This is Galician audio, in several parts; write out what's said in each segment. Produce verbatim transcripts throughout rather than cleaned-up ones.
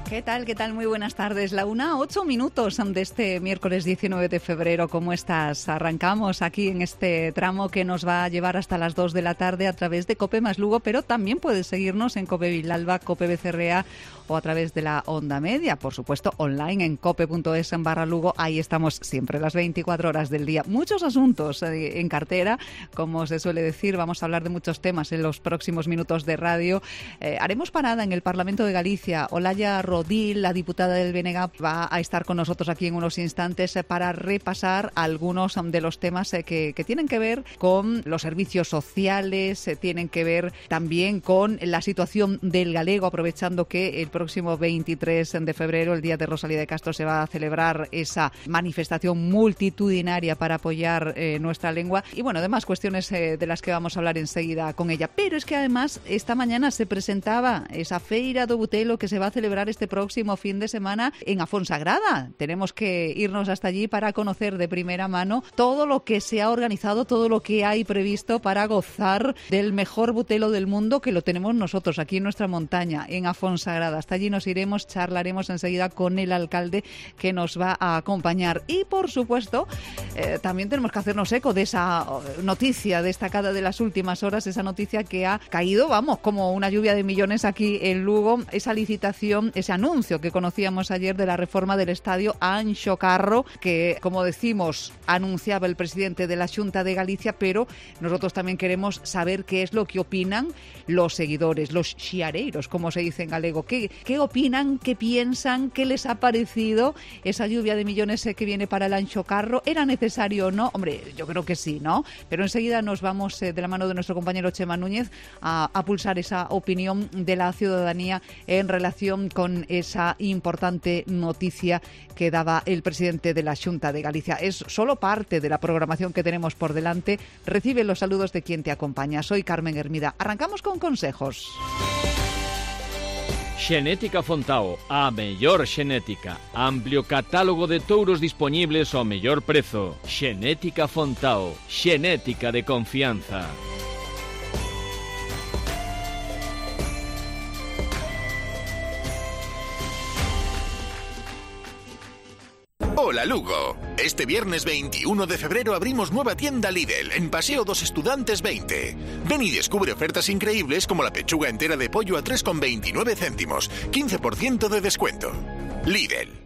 ¿Qué tal? ¿Qué tal? Muy buenas tardes. La una, ocho minutos de este miércoles diecinueve de febrero. ¿Cómo estás? Arrancamos aquí en este tramo que nos va a llevar hasta las dos de la tarde a través de Cope más Lugo, pero también puedes seguirnos en Cope Vilalba, Cope Becerrea o a través de la onda media. Por supuesto, online en cope punto es en barra Lugo. Ahí estamos siempre, las veinticuatro horas del día. Muchos asuntos eh, en cartera, como se suele decir. Vamos a hablar de muchos temas en los próximos minutos de radio. Eh, haremos parada en el Parlamento de Galicia. Olaya Rodil, la diputada del B N G, va a estar con nosotros aquí en unos instantes eh, para repasar algunos um, de los temas eh, que, que tienen que ver con los servicios sociales, eh, tienen que ver también con la situación del galego, aprovechando que el próximo veintitrés de febrero, el día de Rosalía de Castro, se va a celebrar esa manifestación multitudinaria para apoyar eh, nuestra lengua. Y bueno, además cuestiones eh, de las que vamos a hablar enseguida con ella. Pero es que además esta mañana se presentaba esa Feira do Butelo que se va a celebrar este próximo fin de semana en Afonsagrada. Tenemos que irnos hasta allí para conocer de primera mano todo lo que se ha organizado, todo lo que hay previsto para gozar del mejor butelo del mundo, que lo tenemos nosotros aquí en nuestra montaña, en Afonsagrada. Hasta allí nos iremos, charlaremos enseguida con el alcalde que nos va a acompañar. Y por supuesto, eh, también tenemos que hacernos eco de esa noticia destacada de las últimas horas, esa noticia que ha caído, vamos, como una lluvia de millones aquí en Lugo, esa licitación, ese anuncio que conocíamos ayer de la reforma del estadio Anxo Carro, que, como decimos, anunciaba el presidente de la Xunta de Galicia, pero nosotros también queremos saber qué es lo que opinan los seguidores, los xiareiros, como se dice en galego. ¿Qué, qué opinan, qué piensan, qué les ha parecido esa lluvia de millones que viene para el Anxo Carro? ¿Era necesario o no? Hombre, yo creo que sí, ¿no? Pero enseguida nos vamos eh, de la mano de nuestro compañero Chema Núñez a, a pulsar esa opinión de la ciudadanía en relación con esa importante noticia que daba el presidente de la Xunta de Galicia. Es solo parte de la programación que tenemos por delante. Recibe los saludos de quien te acompaña. Soy Carmen Hermida. Arrancamos con consejos. Xenética Fontao, a mellor xenética. Amplio catálogo de touros disponibles ao mellor prezo. Xenética Fontao, xenética de confianza. Hola Lugo, este viernes veintiuno de febrero abrimos nueva tienda Lidl en Paseo dos Estudantes veinte. Ven y descubre ofertas increíbles como la pechuga entera de pollo a tres con veintinueve céntimos, quince por ciento de descuento. Lidl.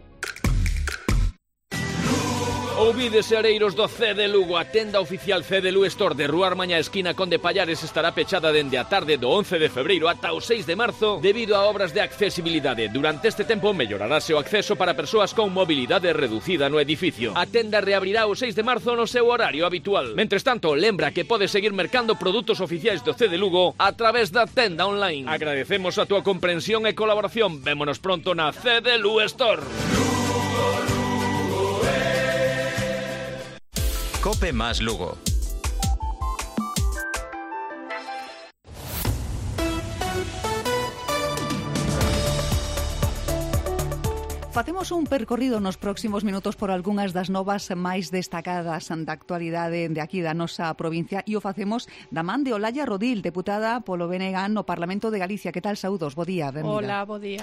Ouvides, areiros do C de Lugo, a tenda oficial C de Lu Store de Rúa Armaña, esquina Conde Pallares, estará pechada dende a tarde do once de febreiro ata o seis de marzo debido a obras de accesibilidade. Durante este tempo mellorarase o acceso para persoas con mobilidade reducida no edificio. A tenda reabrirá o seis de marzo no seu horario habitual. Mentres tanto, lembra que podes seguir mercando produtos oficiais do C de Lugo a través da tenda online. Agradecemos a túa comprensión e colaboración. Vémonos pronto na C de Lu Store. Cope más Lugo. Facemos un percorrido nos próximos minutos por algunhas das novas máis destacadas da actualidade de aquí da nosa provincia e o facemos da man de Olaya Rodil, deputada polo B N G no Parlamento de Galicia. Que tal, saúdos? Bo día, benvida. Hola, bo día.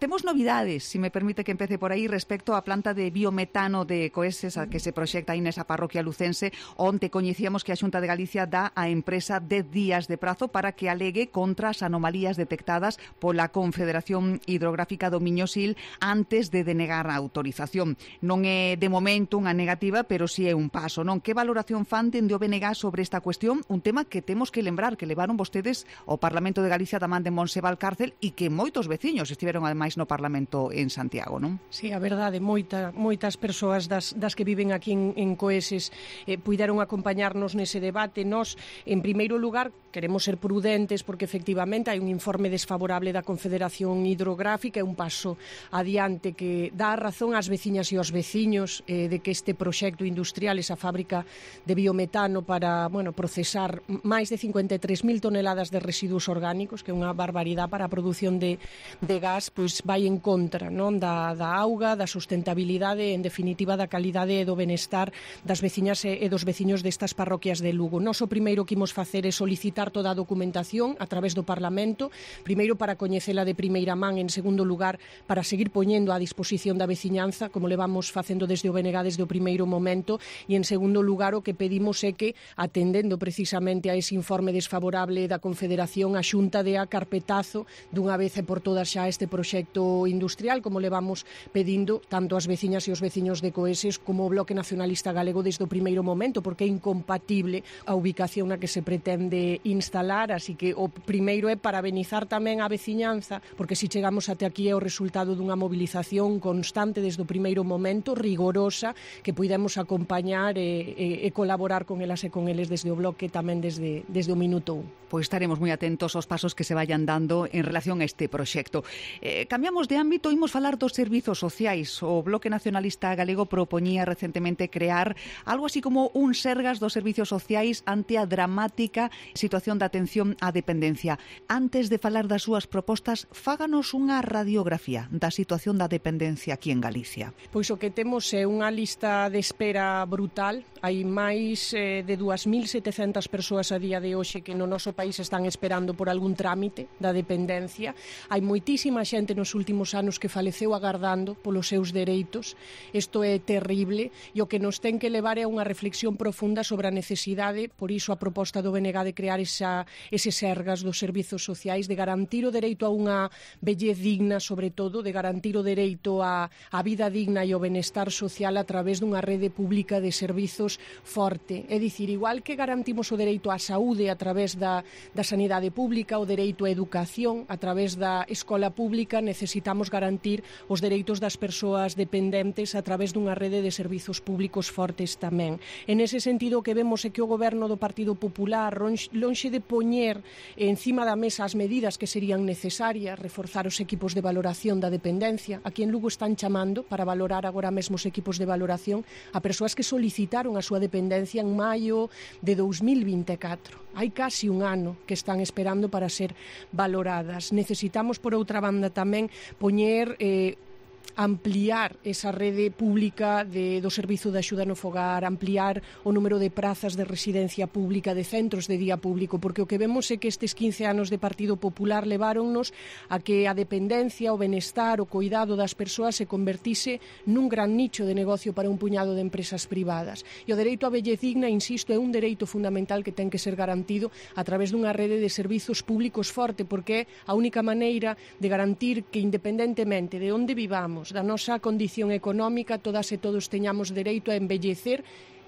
Temos novidades, se si me permite que empece por aí, respecto á planta de biometano de Coeses a que se proxecta aí nesa parroquia lucense, onte coñecíamos que a Xunta de Galicia dá á empresa dez días de prazo para que alegue contra as anomalías detectadas pola Confederación Hidrográfica do Miño-Sil antes de denegar a autorización. Non é de momento unha negativa, pero si é un paso, non? Que valoración fan dende o B N G sobre esta cuestión? Un tema que temos que lembrar que levaron vostedes ao Parlamento de Galicia da man de Monse Valcárcel e que moitos veciños estiveron ademais no Parlamento en Santiago, non? Sí, a verdade, moita, moitas persoas das, das que viven aquí en, en Coeses eh, puideron acompañarnos nese debate. Nos, en primeiro lugar, queremos ser prudentes porque efectivamente hai un informe desfavorable da Confederación Hidrográfica, é un paso adiante que dá razón ás veciñas e aos veciños eh, de que este proxecto industrial, esa fábrica de biometano para, bueno, procesar máis de cincuenta e tres mil toneladas de residuos orgánicos, que é unha barbaridade para a produción de, de gas, pois pois vai en contra, non, da, da auga, da sustentabilidade, en definitiva da calidade e do benestar das veciñas e, e dos veciños destas parroquias de Lugo. Nós o primeiro que imos facer é solicitar toda a documentación a través do Parlamento, primeiro para coñecela de primeira man, en segundo lugar para seguir poñendo á disposición da veciñanza, como levamos facendo desde o B N G desde o primeiro momento, e en segundo lugar o que pedimos é que, atendendo precisamente a ese informe desfavorable da Confederación, a Xunta dea carpetazo dunha vez e por todas xa este proxecto industrial, como levamos pedindo tanto as veciñas e os veciños de Coeses como o Bloque Nacionalista Galego desde o primeiro momento, porque é incompatible a ubicación na que se pretende instalar, así que o primeiro é parabenizar tamén a veciñanza, porque se chegamos até aquí é o resultado dunha movilización constante desde o primeiro momento, rigorosa, que puidemos acompañar e, e, e colaborar con elas e con eles desde o Bloque tamén desde, desde o minuto un. Pois estaremos moi atentos aos pasos que se vayan dando en relación a este proxecto. Eh, cambiamos de ámbito, imos falar dos servizos sociais. O Bloque Nacionalista Galego propoñía recentemente crear algo así como un Sergas dos servizos sociais ante a dramática situación de atención á dependencia. Antes de falar das súas propostas, fáganos unha radiografía da situación da dependencia aquí en Galicia. Pois o que temos é unha lista de espera brutal. Hai máis eh, de dúas mil setecentas persoas a día de hoxe que no noso país están esperando por algún trámite da dependencia. Hai moitísima xente nos últimos anos que faleceu agardando polos seus dereitos. Isto é terrible e o que nos ten que levar é unha reflexión profunda sobre a necesidade, por iso a proposta do B N G de crear esa, ese Sergas dos servizos sociais, de garantir o dereito a unha vellez digna, sobre todo, de garantir o dereito a, a vida digna e o benestar social a través dunha rede pública de servizos forte. É dicir, igual que garantimos o dereito á saúde a través da da sanidade pública, o dereito á educación a través da escola pública, necesitamos garantir os dereitos das persoas dependentes a través dunha rede de servizos públicos fortes tamén. En ese sentido, o que vemos é que o goberno do Partido Popular, lonxe de poñer encima da mesa as medidas que serían necesarias, reforzar os equipos de valoración da dependencia. Aquí en Lugo están chamando para valorar agora mesmo os equipos de valoración a persoas que solicitaron a súa dependencia en maio de dous mil vinte e catro. Hai casi un ano que están esperando para ser valoradas. Necesitamos, por outra banda, tamén poñer... Eh, ampliar esa rede pública de, do servizo de axuda no fogar, ampliar o número de prazas de residencia pública, de centros de día público, porque o que vemos é que estes quince anos de Partido Popular leváronnos a que a dependencia, o benestar, o cuidado das persoas se convertise nun gran nicho de negocio para un puñado de empresas privadas. E o dereito á vellez digna, insisto, é un dereito fundamental que ten que ser garantido a través dunha rede de servizos públicos forte, porque é a única maneira de garantir que, independentemente de onde vivamos, da nosa condición económica, todas e todos teñamos dereito a envellecer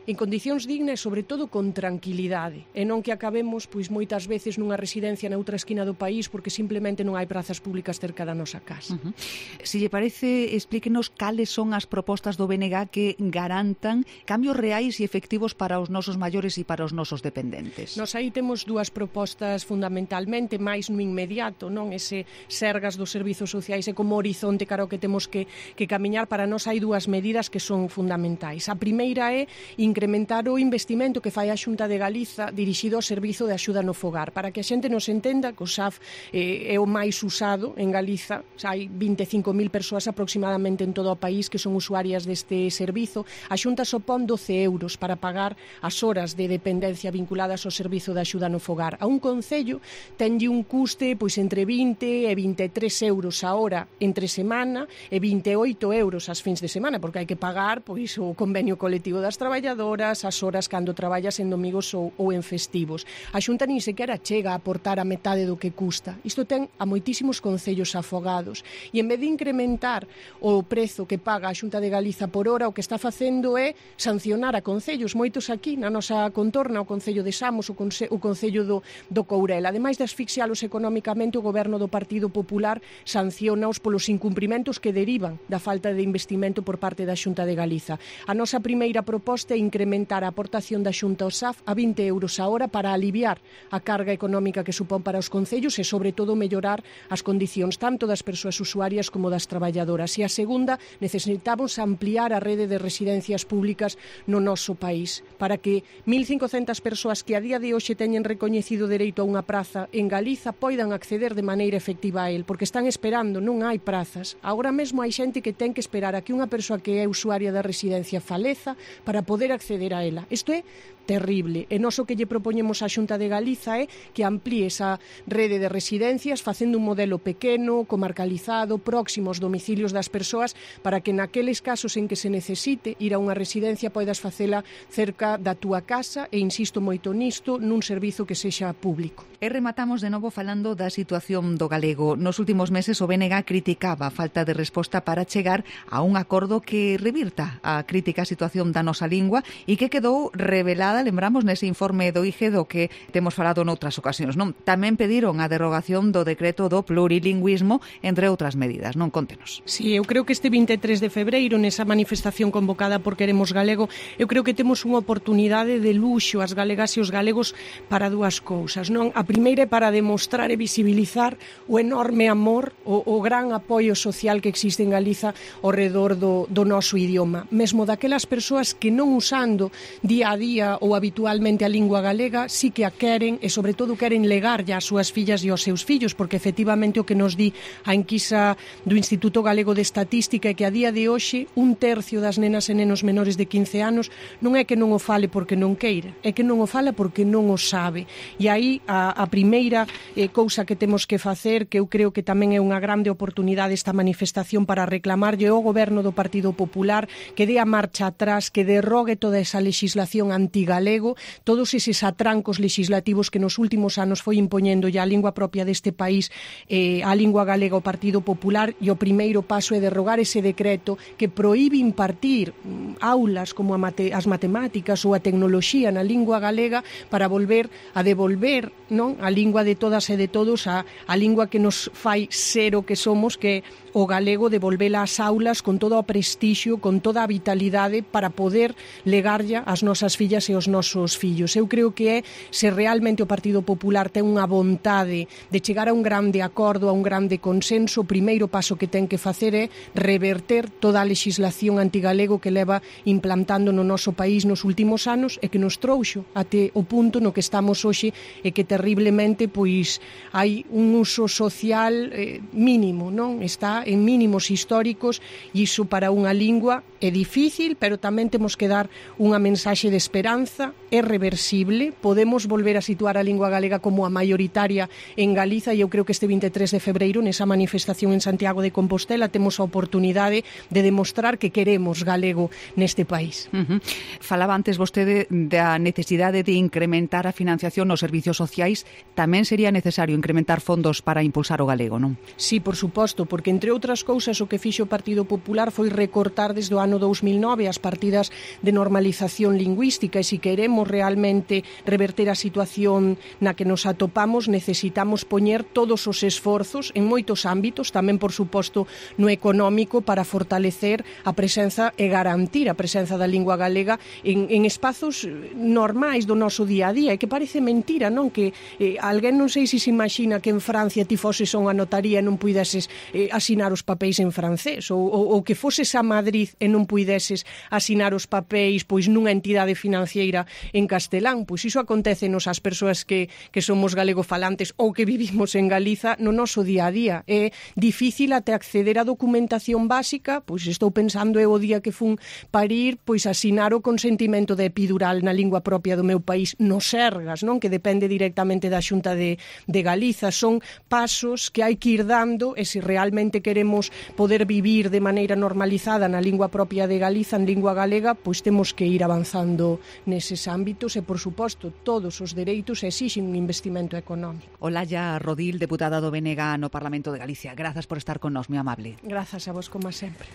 en condicións dignas e, sobre todo, con tranquilidade, e non que acabemos pois moitas veces nunha residencia na outra esquina do país porque simplemente non hai prazas públicas cerca da nosa casa. Uh-huh. Si lle parece, explíquenos cales son as propostas do B N G que garantan cambios reais e efectivos para os nosos maiores e para os nosos dependentes. Nos aí temos dúas propostas fundamentalmente, máis no inmediato, non? Ese Sergas dos servizos sociais é como horizonte cara ao que temos que, que camiñar. Para nós hai dúas medidas que son fundamentais. A primeira é incrementar o investimento que fai a Xunta de Galiza dirixido ao servizo de axuda no fogar. Para que a xente nos entenda que o S A F eh, é o máis usado en Galiza, xa hai vinte e cinco mil persoas aproximadamente en todo o país que son usuarias deste servizo. A Xunta sopón doce euros para pagar as horas de dependencia vinculadas ao servizo de axuda no fogar. A un concello tenlle un custe pois entre vinte e vinte e tres euros a hora entre semana e vinte e oito euros as fins de semana, porque hai que pagar pois o convenio colectivo das traballadoras, as horas cando traballas en domingos ou, ou en festivos. A Xunta nin sequera chega a aportar a metade do que custa. Isto ten a moitísimos concellos afogados. E en vez de incrementar o prezo que paga a Xunta de Galiza por hora, o que está facendo é sancionar a concellos. Moitos aquí na nosa contorna, o Concello de Samos, o, conce o Concello do, do Courel. Ademais de asfixialos económicamente, o Goberno do Partido Popular sanciona-os polos incumprimentos que derivan da falta de investimento por parte da Xunta de Galiza. A nosa primeira proposta é incrementar a aportación da Xunta ao S A F a vinte euros a hora para aliviar a carga económica que supón para os concellos e, sobre todo, mellorar as condicións tanto das persoas usuarias como das traballadoras. E a segunda, necesitamos ampliar a rede de residencias públicas no noso país para que mil cincocentas persoas que a día de hoxe teñen recoñecido dereito a unha praza en Galiza poidan acceder de maneira efectiva a él, porque están esperando, non hai prazas. Agora mesmo hai xente que ten que esperar a que unha persoa que é usuaria da residencia faleza para poder acceder a ela. Isto é terrible. E nós o que lle propoñemos á Xunta de Galiza é que amplíe esa rede de residencias facendo un modelo pequeno, comarcalizado, próximo aos domicilios das persoas para que naqueles casos en que se necesite ir a unha residencia poidas facela cerca da túa casa e, insisto moito nisto, nun servizo que sexa público. E rematamos de novo falando da situación do galego. Nos últimos meses o B N G criticaba a falta de resposta para chegar a un acordo que revirta a crítica situación da nosa lingua e que quedou revelada, lembramos, nese informe do I G E do que temos falado noutras ocasións, non? Tamén pediron a derogación do decreto do plurilingüismo, entre outras medidas, non? Contenos. Sí, eu creo que este vinte e tres de febreiro, nesa manifestación convocada por Queremos Galego, eu creo que temos unha oportunidade de luxo as galegas e os galegos para dúas cousas, non? A primeira é para demostrar e visibilizar o enorme amor, o, o gran apoio social que existe en Galiza ao redor do, do noso idioma, mesmo daquelas persoas que non usando día a día ou habitualmente a lingua galega sí que a queren e sobre todo queren legar ás súas fillas e aos seus fillos, porque efectivamente o que nos di a enquisa do Instituto Galego de Estatística é que a día de hoxe un tercio das nenas e nenos menores de quince anos non é que non o fale porque non queira, é que non o fala porque non o sabe. E aí a, a primeira eh, cousa que temos que facer, que eu creo que tamén é unha grande oportunidade esta manifestación para reclamarlle ao Goberno do Partido Popular que dé a marcha atrás, que derrogue toda esa legislación antigalego, todos eses atrancos legislativos que nos últimos anos foi impoñendo ya a lingua propia deste país, eh, a lingua galega ao Partido Popular, e o primeiro paso é derrogar ese decreto que proíbe impartir aulas como a mate, as matemáticas ou a tecnoloxía na lingua galega para volver a devolver, non, a lingua de todas e de todos, a, a lingua que nos fai ser o que somos, que o galego, devolvela ás aulas con todo o prestixio, con toda a vitalidade para poder legarlla ás nosas fillas e aos nosos fillos. Eu creo que é, se realmente o Partido Popular ten unha vontade de chegar a un grande acordo, a un grande consenso, o primeiro paso que ten que facer é reverter toda a legislación antigalego que leva implantando no noso país nos últimos anos e que nos trouxo até o punto no que estamos hoxe e que terriblemente pois hai un uso social eh, mínimo, non? Está en mínimos históricos e iso para unha lingua é difícil, pero tamén temos que dar unha mensaxe de esperanza, é reversible, podemos volver a situar a lingua galega como a maioritaria en Galiza e eu creo que este vinte e tres de febreiro nesa manifestación en Santiago de Compostela temos a oportunidade de demostrar que queremos galego neste país. Uh-huh. Falaba antes vostede da necesidade de incrementar a financiación nos servicios sociais, tamén sería necesario incrementar fondos para impulsar o galego, non? Sí, por suposto, porque entre outras cousas o que fixo o Partido Popular foi recortar desde o ano dous mil nove as partidas de normalización lingüística e se queremos realmente reverter a situación na que nos atopamos necesitamos poñer todos os esforzos en moitos ámbitos, tamén por suposto no económico, para fortalecer a presenza e garantir a presenza da lingua galega en, en espazos normais do noso día a día, e que parece mentira, non? Que eh, alguén non sei se se imagina que en Francia ti foses a unha notaría e non puideses eh, asinar os papéis en francés, ou, ou, ou que foses a Madrid e non puideses asinar os papéis pois nunha entidade financiera en castelán. Pois iso acontece nos as persoas que, que somos galegofalantes ou que vivimos en Galiza no noso día a día. É difícil até acceder á documentación básica, pois estou pensando eu o día que fun parir, pois asinar o consentimento de epidural na lingua propia do meu país no Sergas, non? Que depende directamente da Xunta de, de Galiza. Son pasos que hai que ir dando e se realmente queremos poder vivir de maneira normalizada na lingua propia de Galiza, en lingua galega, pois temos que ir avanzando neses ámbitos e, por suposto, todos os dereitos exixen un investimento económico. Olalla Rodil, deputada do B N G no Parlamento de Galicia. Grazas por estar con nós, moi amable. Grazas a vos, como sempre.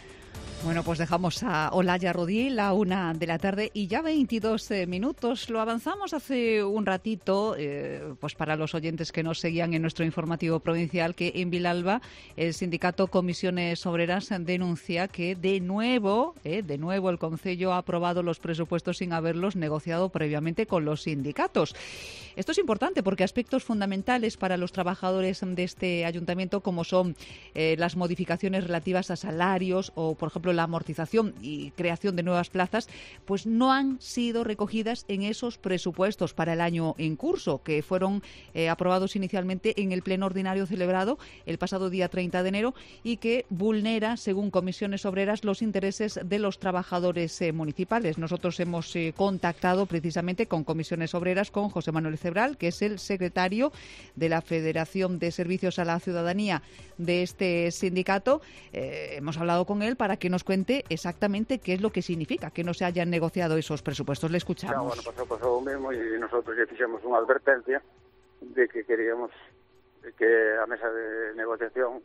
Bueno, pues dejamos a Olaya Rodí, la una de la tarde y ya veintidós eh, minutos. Lo avanzamos hace un ratito, eh, pues para los oyentes que nos seguían en nuestro informativo provincial, que en Vilalba el sindicato Comisiones Obreras denuncia que de nuevo, eh, de nuevo el Concello ha aprobado los presupuestos sin haberlos negociado previamente con los sindicatos. Esto es importante porque aspectos fundamentales para los trabajadores de este ayuntamiento, como son eh, las modificaciones relativas a salarios o, por ejemplo, la amortización y creación de nuevas plazas, pues no han sido recogidas en esos presupuestos para el año en curso, que fueron eh, aprobados inicialmente en el pleno ordinario celebrado el pasado día treinta de enero y que vulnera, según Comisiones Obreras, los intereses de los trabajadores eh, municipales. Nosotros hemos eh, contactado precisamente con Comisiones Obreras, con José Manuel Cebral, que es el secretario de la Federación de Servicios a la Ciudadanía de este sindicato. Eh, hemos hablado con él para que nos cuente exactamente qué es lo que significa que no se hayan negociado esos presupuestos. Le escuchamos. No, bueno, pasó, pasó lo mismo y nosotros ya hicimos una advertencia de que queríamos que a mesa de negociación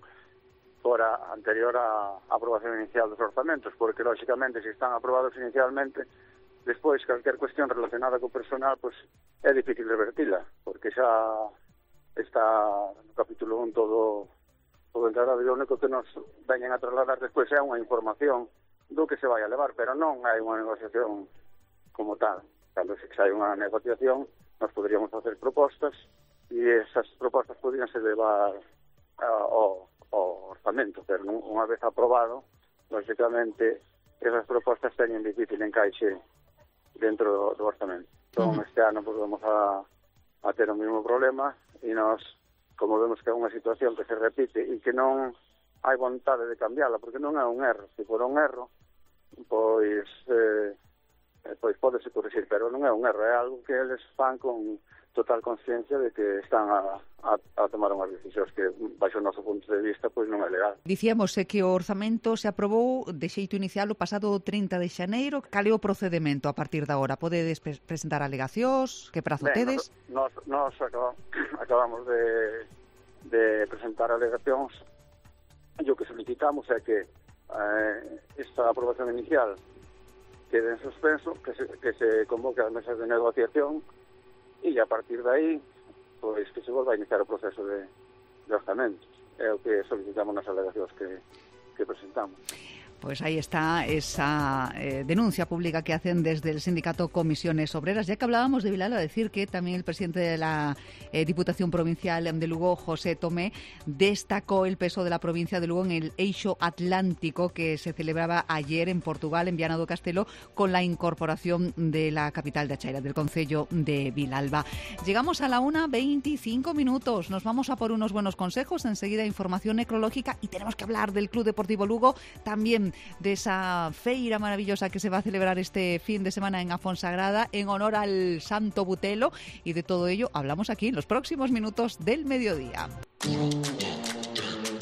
fuera anterior a aprobación inicial dos orzamentos, porque lógicamente si están aprobados inicialmente, despois calquer cuestión relacionada co personal, pues é difícil revertila, porque xa está no capítulo un todo todo encarado e o único que nos veñen a trasladar despois é unha información do que se vai a levar, pero non hai unha negociación como tal. Cando se hai unha negociación, nos poderíamos facer propostas e esas propostas podrían se levar ao, ao orzamento, pero unha vez aprobado, lógicamente, esas propostas teñen difícil encaixe dentro do, do orzamento. Entón, uh-huh. este ano pues, vamos a, a ter o mesmo problema e nós, como vemos que é unha situación que se repite e que non hai vontade de cambiarla, porque non é un erro. Se for un erro, pois, eh, pois pódese corrixir, pero non é un erro, é algo que eles fan con total consciencia de que están a, a, a tomar unhas decisións que, baixo o noso punto de vista, pois non é legal. Dicíamos eh, que o orzamento se aprobou de xeito inicial o pasado trinta de xaneiro. Cal é o procedimento a partir de agora? Podedes pre- presentar alegacións? Que prazo Ben, tedes? Nos, nos, nos acabamos, acabamos de, de presentar alegacións e o que solicitamos é que eh, esta aprobación inicial quede en suspenso, que se, que se convoque as mesas de negociación e a partir de aí, pois que se volva a iniciar o proceso de, de orzamentos. É o que solicitamos nas alegacións que, que presentamos. Pues ahí está esa eh, denuncia pública que hacen desde el sindicato Comisiones Obreras. Ya que hablábamos de Vilalba, decir que también el presidente de la eh, Diputación Provincial de Lugo, José Tomé, destacó el peso de la provincia de Lugo en el Eixo Atlántico que se celebraba ayer en Portugal, en Viana do Castelo, con la incorporación de la capital de Achaira, del concello de Vilalba. Llegamos a la una veinticinco minutos. Nos vamos a por unos buenos consejos. Enseguida información necrológica y tenemos que hablar del Club Deportivo Lugo, también de esa feira maravillosa que se va a celebrar este fin de semana en Afonsagrada en honor al Santo Butelo, y de todo ello hablamos aquí en los próximos minutos del mediodía.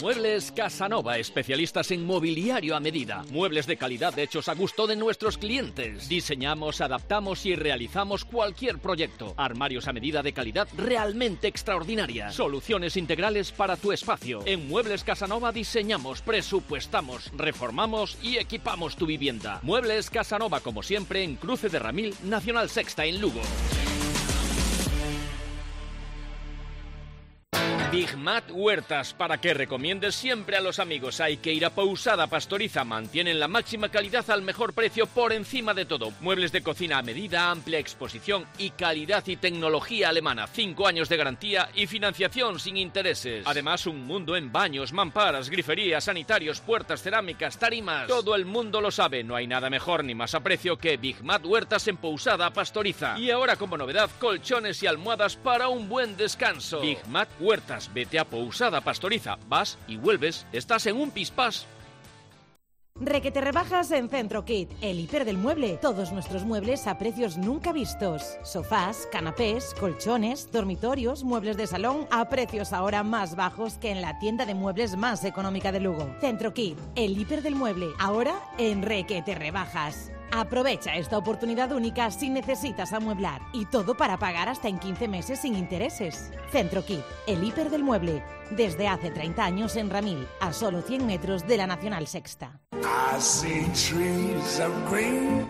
Muebles Casanova, especialistas en mobiliario a medida. Muebles de calidad hechos a gusto de nuestros clientes. Diseñamos, adaptamos y realizamos cualquier proyecto. Armarios a medida de calidad realmente extraordinaria. Soluciones integrales para tu espacio. En Muebles Casanova diseñamos, presupuestamos, reformamos y equipamos tu vivienda. Muebles Casanova, como siempre, en Cruce de Ramil, Nacional Sexta, en Lugo. Big Mat Huertas, para que recomiendes siempre a los amigos. Hay que ir a Pousada Pastoriza. Mantienen la máxima calidad al mejor precio por encima de todo. Muebles de cocina a medida, amplia exposición y calidad y tecnología alemana. Cinco años de garantía y financiación sin intereses. Además, un mundo en baños, mamparas, griferías, sanitarios, puertas, cerámicas, tarimas. Todo el mundo lo sabe. No hay nada mejor ni más a precio que Big Mat Huertas en Pousada Pastoriza. Y ahora, como novedad, colchones y almohadas para un buen descanso. Big Mat Huertas. Vete a Pousada Pastoriza, vas y vuelves, estás en un pispás. Requete rebajas en Centro Kit, el hiper del mueble. Todos nuestros muebles a precios nunca vistos. Sofás, canapés, colchones, dormitorios, muebles de salón a precios ahora más bajos que en la tienda de muebles más económica de Lugo. Centro Kit, el hiper del mueble, ahora en Requete rebajas. Aprovecha esta oportunidad única si necesitas amueblar, y todo para pagar hasta en quince meses sin intereses. Centro Kit, el hiper del mueble, desde hace treinta años en Ramil, a solo cien metros de la Nacional Sexta. I see trees of green.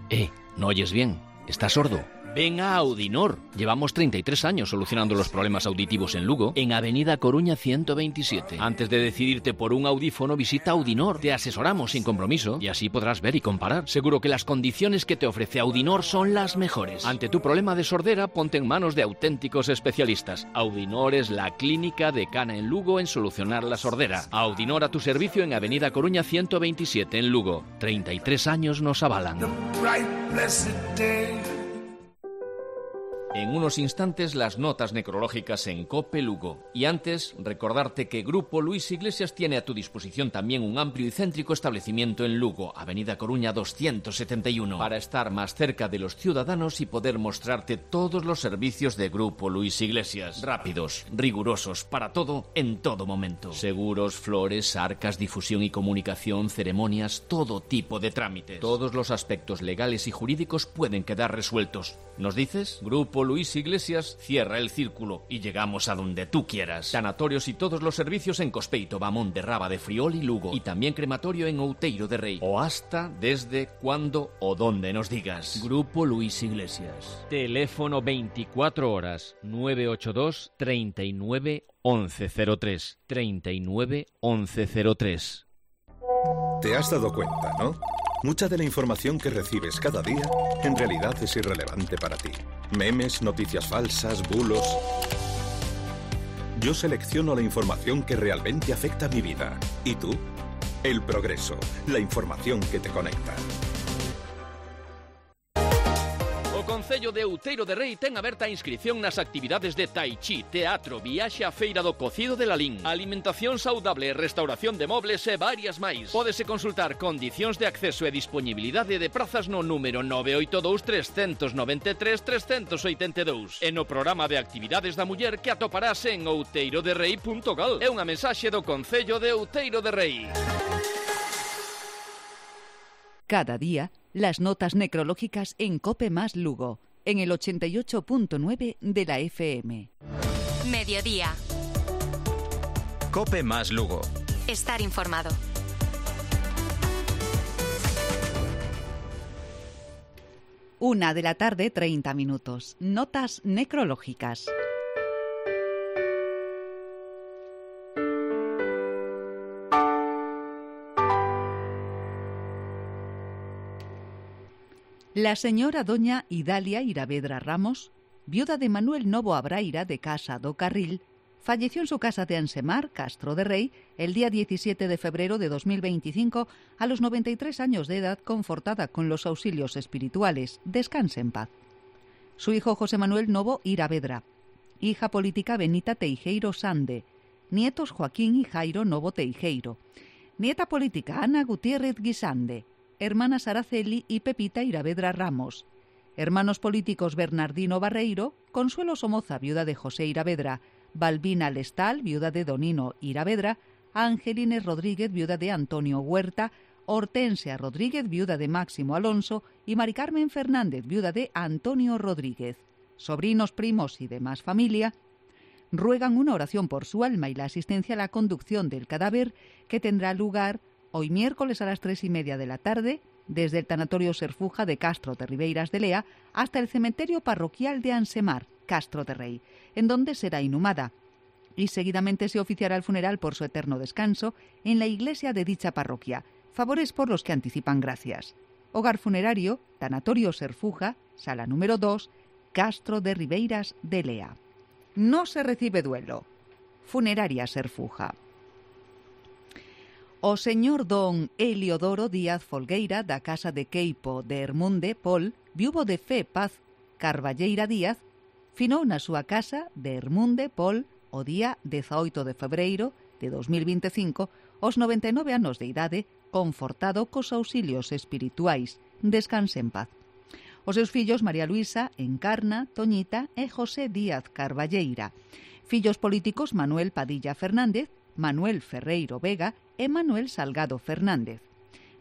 Eh, ¿no oyes bien? ¿Estás sordo? Ven a Audinor. Llevamos treinta y tres años solucionando los problemas auditivos en Lugo, en Avenida Coruña ciento veintisiete. Antes de decidirte por un audífono, visita Audinor. Te asesoramos sin compromiso y así podrás ver y comparar. Seguro que las condiciones que te ofrece Audinor son las mejores. Ante tu problema de sordera, ponte en manos de auténticos especialistas. Audinor es la clínica decana en Lugo en solucionar la sordera. Audinor a tu servicio en Avenida Coruña ciento veintisiete en Lugo. treinta y tres años nos avalan. The bright blessed day. En unos instantes las notas necrológicas en COPE Lugo. Y antes, recordarte que Grupo Luis Iglesias tiene a tu disposición también un amplio y céntrico establecimiento en Lugo, Avenida Coruña doscientos setenta y uno, para estar más cerca de los ciudadanos y poder mostrarte todos los servicios de Grupo Luis Iglesias. Rápidos, rigurosos, para todo, en todo momento. Seguros, flores, arcas, difusión y comunicación, ceremonias, todo tipo de trámites. Todos los aspectos legales y jurídicos pueden quedar resueltos. ¿Nos dices? Grupo Luis Iglesias cierra el círculo y llegamos a donde tú quieras. Sanatorios y todos los servicios en Cospeito, Bamón de Raba de Friol y Lugo. Y también crematorio en Outeiro de Rei. O hasta, desde, cuando o donde nos digas. Grupo Luis Iglesias. Teléfono veinticuatro horas nueve ocho dos, treinta y nueve, once cero tres. treinta y nueve, once cero tres. Te has dado cuenta, ¿no? Mucha de la información que recibes cada día en realidad es irrelevante para ti. Memes, noticias falsas, bulos. Yo selecciono la información que realmente afecta a mi vida. ¿Y tú? El Progreso, la información que te conecta. O Concello de Outeiro de Rei ten aberta a inscripción nas actividades de Tai Chi, teatro, viaxe á Feira do Cocido de Lalín, alimentación saudable, restauración de mobles e varias máis. Pódese consultar condicións de acceso e disponibilidade de prazas no número nove oito dous, tres nove tres, tres oito dous e no programa de actividades da muller que atoparás en outeiroderrei punto gal. É unha mensaxe do Concello de Outeiro de Rei. Cada día, las notas necrológicas en COPE más Lugo, en el ochenta y ocho punto nueve de la F M. Mediodía. COPE más Lugo. Estar informado. Una de la tarde, treinta minutos. Notas necrológicas. La señora doña Idalia Iravedra Ramos, viuda de Manuel Novo Abraira de Casa do Carril, falleció en su casa de Ansemar, Castro de Rei, el día diecisiete de febrero de dos mil veinticinco a los noventa y tres años de edad, confortada con los auxilios espirituales. Descanse en paz. Su hijo José Manuel Novo Iravedra, hija política Benita Teijeiro Sande, nietos Joaquín y Jairo Novo Teijeiro, nieta política Ana Gutiérrez Guisande, hermanas Araceli y Pepita Iravedra Ramos, hermanos políticos Bernardino Barreiro, Consuelo Somoza, viuda de José Iravedra, Balbina Lestal, viuda de Donino Iravedra, Angelines Rodríguez, viuda de Antonio Huerta, Hortensia Rodríguez, viuda de Máximo Alonso, y Mari Carmen Fernández, viuda de Antonio Rodríguez. Sobrinos, primos y demás familia ruegan una oración por su alma y la asistencia a la conducción del cadáver, que tendrá lugar hoy miércoles a las tres y media de la tarde, desde el tanatorio Serfuja de Castro de Ribeiras de Lea hasta el cementerio parroquial de Ansemar, Castro de Rei, en donde será inhumada, y seguidamente se oficiará el funeral por su eterno descanso en la iglesia de dicha parroquia. Favores por los que anticipan gracias. Hogar funerario, tanatorio Serfuja, sala número dos, Castro de Ribeiras de Lea. No se recibe duelo. Funeraria Serfuja. O señor don Eliodoro Díaz Folgueira, da casa de Queipo de Hermunde Pol, viuvo de Fe Paz Carballeira Díaz, finou na súa casa de Hermunde Pol o día dezaoito de febreiro de dos mil veinticinco, aos noventa e nove anos de idade, confortado cos auxilios espirituais. Descanse en paz. Os seus fillos María Luisa, Encarna, Toñita e José Díaz Carballeira. Fillos políticos Manuel Padilla Fernández, Manuel Ferreiro Vega e Manuel Salgado Fernández.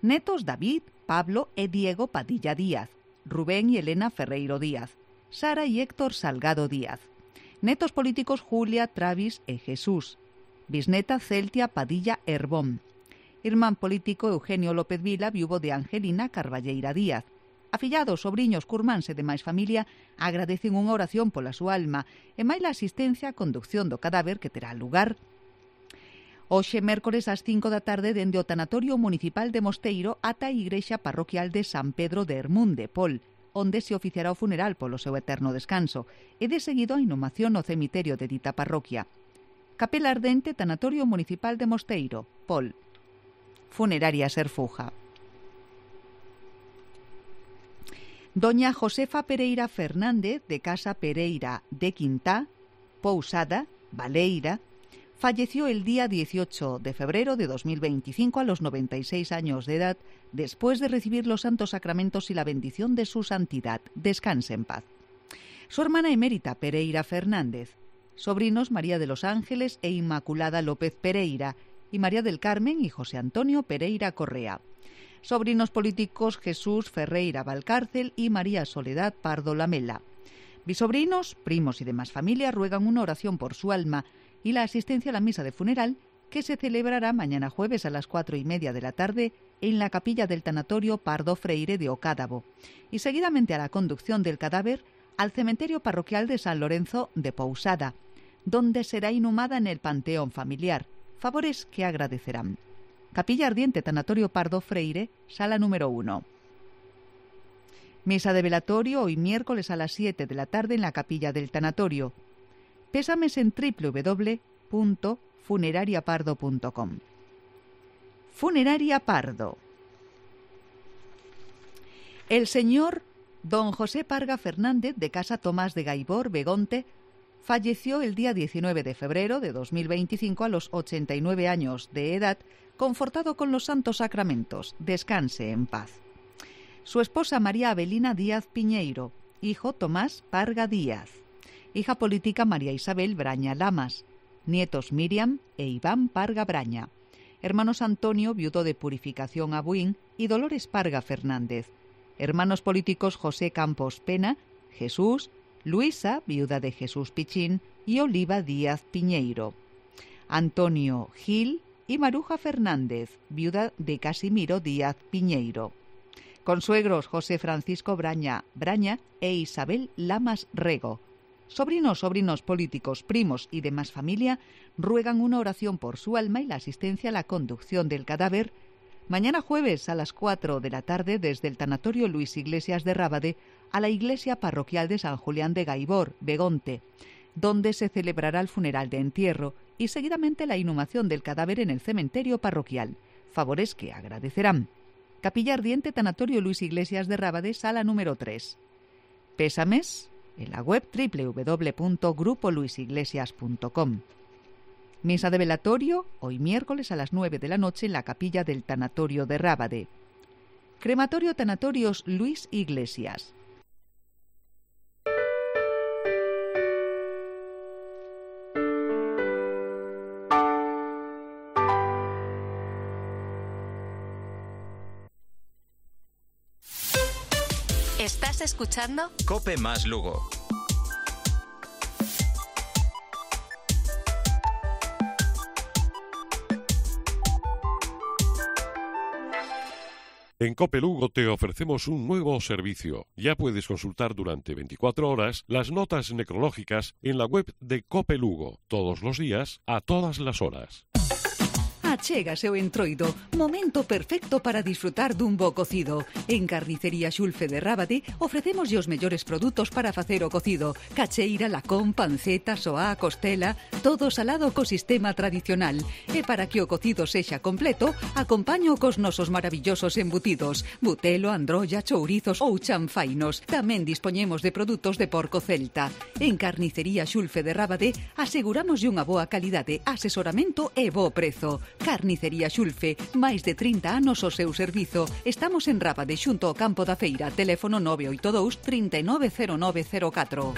Netos David, Pablo e Diego Padilla Díaz, Rubén y Elena Ferreiro Díaz, Sara y Héctor Salgado Díaz. Netos políticos Julia, Travis e Jesús. Bisneta Celtia Padilla Herbón. Irmán político Eugenio López Vila, viúvo de Angelina Carballeira Díaz. Afillados, sobriños, curmáns e demais familia agradecen unha oración pola súa alma e máis a asistencia á conducción do cadáver que terá lugar hoxe, mércores, ás cinco da tarde, dende o Tanatorio Municipal de Mosteiro ata a Igrexa Parroquial de San Pedro de Hermunde, Pol, onde se oficiará o funeral polo seu eterno descanso, e de seguido a inhumación no cemiterio de dita parroquia. Capela Ardente, Tanatorio Municipal de Mosteiro, Pol. Funeraria Serfuja. Doña Josefa Pereira Fernández, de Casa Pereira de Quintá, Pousada, Baleira, falleció el día dieciocho de febrero de dos mil veinticinco a los noventa y seis años de edad, después de recibir los santos sacramentos y la bendición de su santidad. Descanse en paz. Su hermana emérita, Pereira Fernández. Sobrinos, María de los Ángeles e Inmaculada López Pereira, y María del Carmen y José Antonio Pereira Correa. Sobrinos políticos, Jesús Ferreira Valcárcel y María Soledad Pardo Lamela. Bisobrinos, primos y demás familia ruegan una oración por su alma y la asistencia a la misa de funeral, que se celebrará mañana jueves a las cuatro y media de la tarde en la capilla del tanatorio Pardo Freire de Ocádabo, y seguidamente a la conducción del cadáver al cementerio parroquial de San Lorenzo de Pousada, donde será inhumada en el panteón familiar, favores que agradecerán. Capilla Ardiente, Tanatorio Pardo Freire, sala número uno. Misa de velatorio hoy miércoles a las siete de la tarde en la capilla del tanatorio. Pésames en doble u doble u doble u punto funeraria pardo punto com. Funeraria Pardo. El señor don José Parga Fernández, de Casa Tomás de Gaibor, Begonte, falleció el día diecinueve de febrero de dos mil veinticinco a los ochenta y nueve años de edad, confortado con los santos sacramentos. Descanse en paz. Su esposa María Avelina Díaz Piñeiro, hijo Tomás Parga Díaz, hija política María Isabel Braña Lamas, nietos Miriam e Iván Parga Braña, hermanos Antonio, viudo de Purificación Abuín, y Dolores Parga Fernández, hermanos políticos José Campos Pena, Jesús, Luisa, viuda de Jesús Pichín, y Oliva Díaz Piñeiro, Antonio Gil y Maruja Fernández, viuda de Casimiro Díaz Piñeiro. Consuegros José Francisco Braña Braña e Isabel Lamas Rego. Sobrinos, sobrinos políticos, primos y demás familia ruegan una oración por su alma y la asistencia a la conducción del cadáver mañana jueves a las cuatro de la tarde desde el tanatorio Luis Iglesias de Rábade a la iglesia parroquial de San Julián de Gaibor, Begonte, donde se celebrará el funeral de entierro y seguidamente la inhumación del cadáver en el cementerio parroquial, favores que agradecerán. Capilla Ardiente, Tanatorio Luis Iglesias de Rábade, sala número tres. Pésames en la web doble u doble u doble u punto grupo luis iglesias punto com. Misa de velatorio hoy miércoles a las nueve de la noche en la capilla del Tanatorio de Rábade. Crematorio Tanatorios Luis Iglesias. ¿Estás escuchando? Cope más Lugo. En Cope Lugo te ofrecemos un nuevo servicio. Ya puedes consultar durante veinticuatro horas las notas necrológicas en la web de Cope Lugo, todos los días, a todas las horas. Achégase o entroido, momento perfecto para disfrutar dun bo cocido. En Carnicería Xulfe de Rábade ofrecemos os mellores produtos para facer o cocido. Cacheira, lacón, panceta, soá, costela, todo salado co sistema tradicional. E para que o cocido sexa completo, acompaño cos nosos maravillosos embutidos. Butelo, androlla, chourizos ou chanfainos. Tamén dispoñemos de produtos de porco celta. En Carnicería Xulfe de Rábade aseguramos unha boa calidade, asesoramento e bo prezo. Carnicería Xulfe, máis de trinta anos o seu servizo. Estamos en Rábade, xunto ao campo da feira. Teléfono nove oito dous, trinta e nove cero nove cero catro.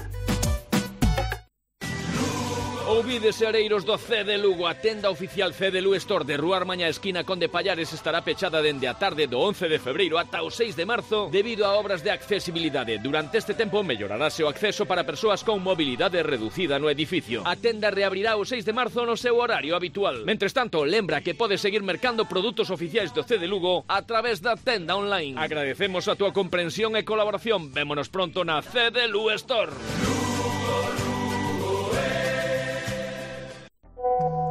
Ouvides areiros do C de Lugo, a tenda oficial C de Lu Store de Rúa Armaña esquina Conde Pallares estará pechada dende a tarde do once de febreiro ata o seis de marzo debido a obras de accesibilidade. Durante este tempo mellorarase o acceso para persoas con mobilidade reducida no edificio. A tenda reabrirá o seis de marzo no seu horario habitual. Mentres tanto, lembra que podes seguir mercando produtos oficiais do C de Lugo a través da tenda online. Agradecemos a túa comprensión e colaboración. Vémonos pronto na C de Lu Store.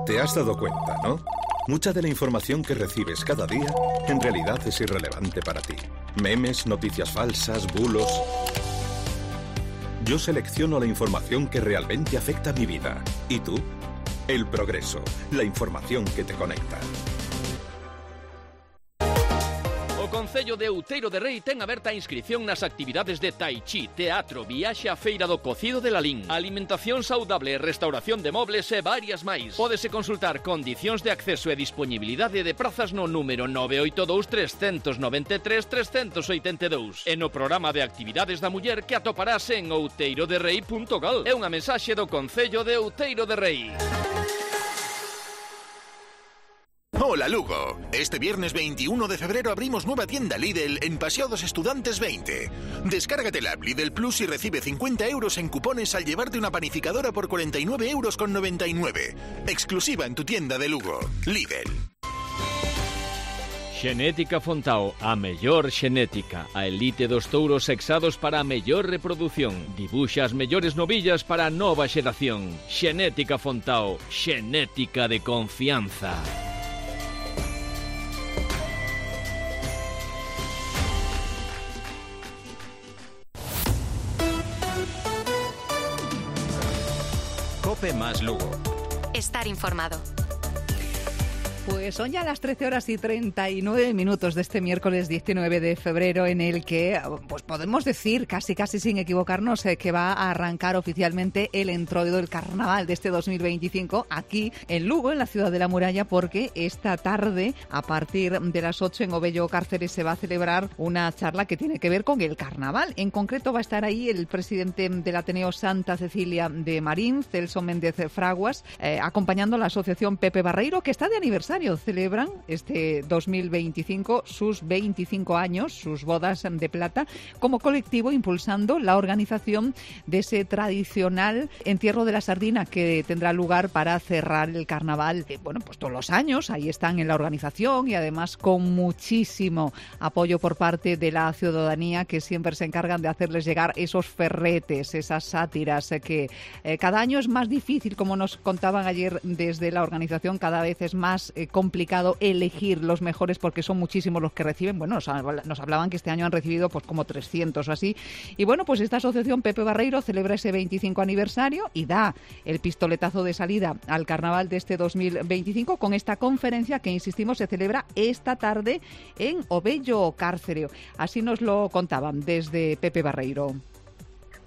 ¿Te has dado cuenta, no? Mucha de la información que recibes cada día en realidad es irrelevante para ti. Memes, noticias falsas, bulos... Yo selecciono la información que realmente afecta a mi vida. ¿Y tú? El Progreso, la información que te conecta. O Concello de Outeiro de Rei ten aberta a inscripción nas actividades de tai chi, teatro, viaxe á feira do cocido de Lalín, alimentación saudable, restauración de mobles e varias máis. Pódese consultar condicións de acceso e disponibilidade de prazas no número nove oito dous, tres nove tres, tres oito dous e no programa de actividades da muller que atoparás en outeiroderrei punto gal. É unha mensaxe do Concello de Outeiro de Rei. Hola Lugo, este viernes veintiuno de febrero abrimos nueva tienda Lidl en Paseo dos Estudantes veinte. Descárgate la app Lidl Plus y recibe cincuenta euros en cupones al llevarte una panificadora por cuarenta y nueve euros con noventa y nueve. Exclusiva en tu tienda de Lugo. Lidl. Xenética Fontao, a mellor xenética, a elite dos touros sexados para a mellor reproducción. Dibuxa as mellores novillas para a nova xeración. Xenética Fontao, xenética de confianza. Cope más Lugo. Estar informado. Pues son ya las trece horas y treinta y nueve minutos de este miércoles diecinueve de febrero en el que pues podemos decir, casi casi sin equivocarnos, eh, que va a arrancar oficialmente el entroido del carnaval de este dos mil veinticinco aquí en Lugo, en la ciudad de la muralla, porque esta tarde, a partir de las ocho en Obello Cárceres, se va a celebrar una charla que tiene que ver con el carnaval. En concreto va a estar ahí el presidente del Ateneo Santa Cecilia de Marín, Celso Méndez Fraguas, eh, acompañando a la asociación Pepe Barreiro, que está de aniversario. Celebran este dos mil veinticinco sus veinticinco años, sus bodas de plata, como colectivo impulsando la organización de ese tradicional entierro de la sardina que tendrá lugar para cerrar el carnaval, eh, bueno, pues todos los años. Ahí están en la organización y además con muchísimo apoyo por parte de la ciudadanía, que siempre se encargan de hacerles llegar esos ferretes, esas sátiras, eh, que eh, cada año es más difícil, como nos contaban ayer desde la organización, cada vez es más eh, complicado elegir los mejores porque son muchísimos los que reciben. Bueno, nos, nos hablaban que este año han recibido pues como trescientos o así. Y bueno, pues esta asociación Pepe Barreiro celebra ese veinticinco aniversario y da el pistoletazo de salida al carnaval de este dos mil veinticinco con esta conferencia que, insistimos, se celebra esta tarde en Obello Cárcere. Así nos lo contaban desde Pepe Barreiro.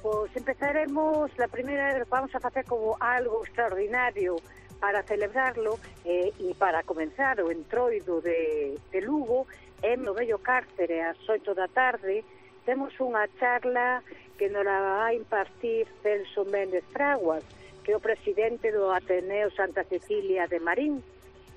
Pues empezaremos, la primera, vamos a hacer como algo extraordinario para celebrarlo eh, e para comenzar o entroido de, de Lugo en Obello Cárcere ás oito da tarde. Temos unha charla que nos la va a impartir Celso Méndez Fraguas, que é o presidente do Ateneo Santa Cecilia de Marín.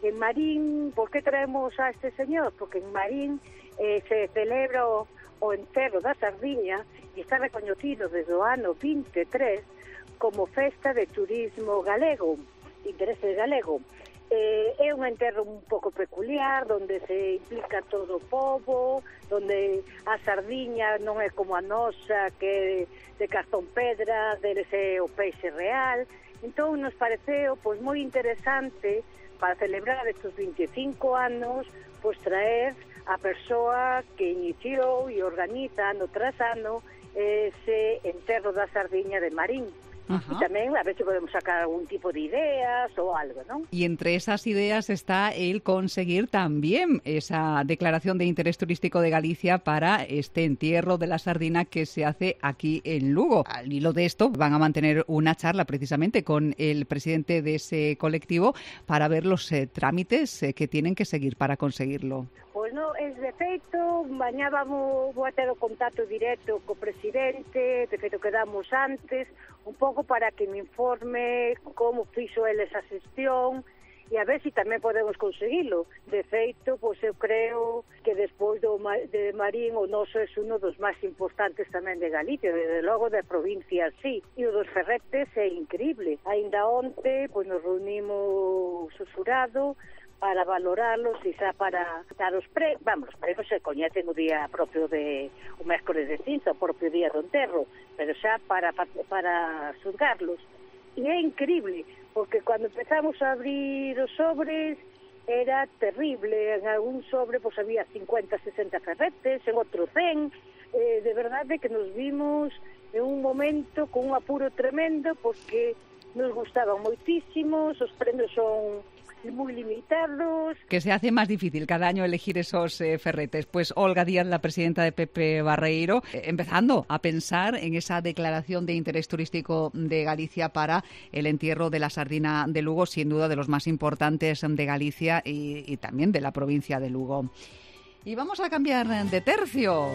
En Marín, por que traemos a este señor? Porque en Marín eh, se celebra o, o enterro da sardiña e está recoñecido desde o ano vinte e tres como festa de turismo galego, interese galego. Eh, é un enterro un pouco peculiar, onde se implica todo o pobo, onde a sardiña non é como a nosa, que é de cartón pedra, deles é o peixe real. Entón nos pareceu pois moi interesante para celebrar estes vinte e cinco anos, pois traer a persoa que iniciou e organiza ano tras ano ese enterro da sardiña de Marín. Ajá. Y también a ver si podemos sacar algún tipo de ideas o algo, ¿no? Y entre esas ideas está el conseguir también esa declaración de interés turístico de Galicia para este entierro de la sardina que se hace aquí en Lugo. Al hilo de esto van a mantener una charla precisamente con el presidente de ese colectivo para ver los eh, trámites eh, que tienen que seguir para conseguirlo. Pois non, es de feito, mañá vamos, vou a ter o contacto directo co presidente, de feito quedamos antes, un pouco logo para que me informe como fixo ele esa xestión e a ver se si tamén podemos conseguilo. De feito, pois eu creo que despois do de Marín o noso é uno dos máis importantes tamén de Galicia, desde logo da provincia así. E o dos ferretes é increíble. Ainda onte, pois nos reunimos o xurado para valorarlos e xa para dar os pre... Vamos, os premios se coñecen o día propio de... o mércoles de cinza, o propio día do enterro, pero xa para, para xulgarlos. E é increíble, porque cando empezamos a abrir os sobres era terrible. En algún sobre pues, había cincuenta, sesenta ferretes, en outro cen. Eh, de verdade que nos vimos en un momento con un apuro tremendo porque nos gustaban moitísimos, os premios son muy limitados. Que se hace más difícil cada año elegir esos eh, ferretes. Pues Olga Díaz, la presidenta de Pepe Barreiro, eh, empezando a pensar en esa declaración de interés turístico de Galicia para el entierro de la sardina de Lugo, sin duda de los más importantes de Galicia y, y también de la provincia de Lugo. Y vamos a cambiar de tercio.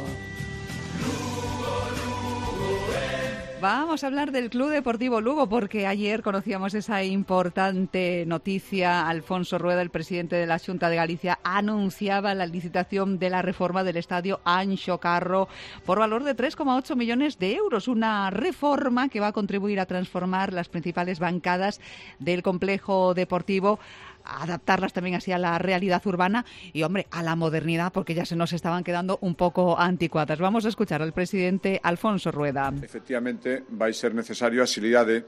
Vamos a hablar del Club Deportivo Lugo porque ayer conocíamos esa importante noticia. Alfonso Rueda, el presidente de la Xunta de Galicia, anunciaba la licitación de la reforma del estadio Anxo Carro por valor de tres coma ocho millones de euros. Una reforma que va a contribuir a transformar las principales bancadas del complejo deportivo, adaptarlas también así a la realidad urbana y, hombre, a la modernidad, porque ya se nos estaban quedando un poco anticuadas. Vamos a escuchar al presidente Alfonso Rueda. Efectivamente, vai ser necesario a axilidade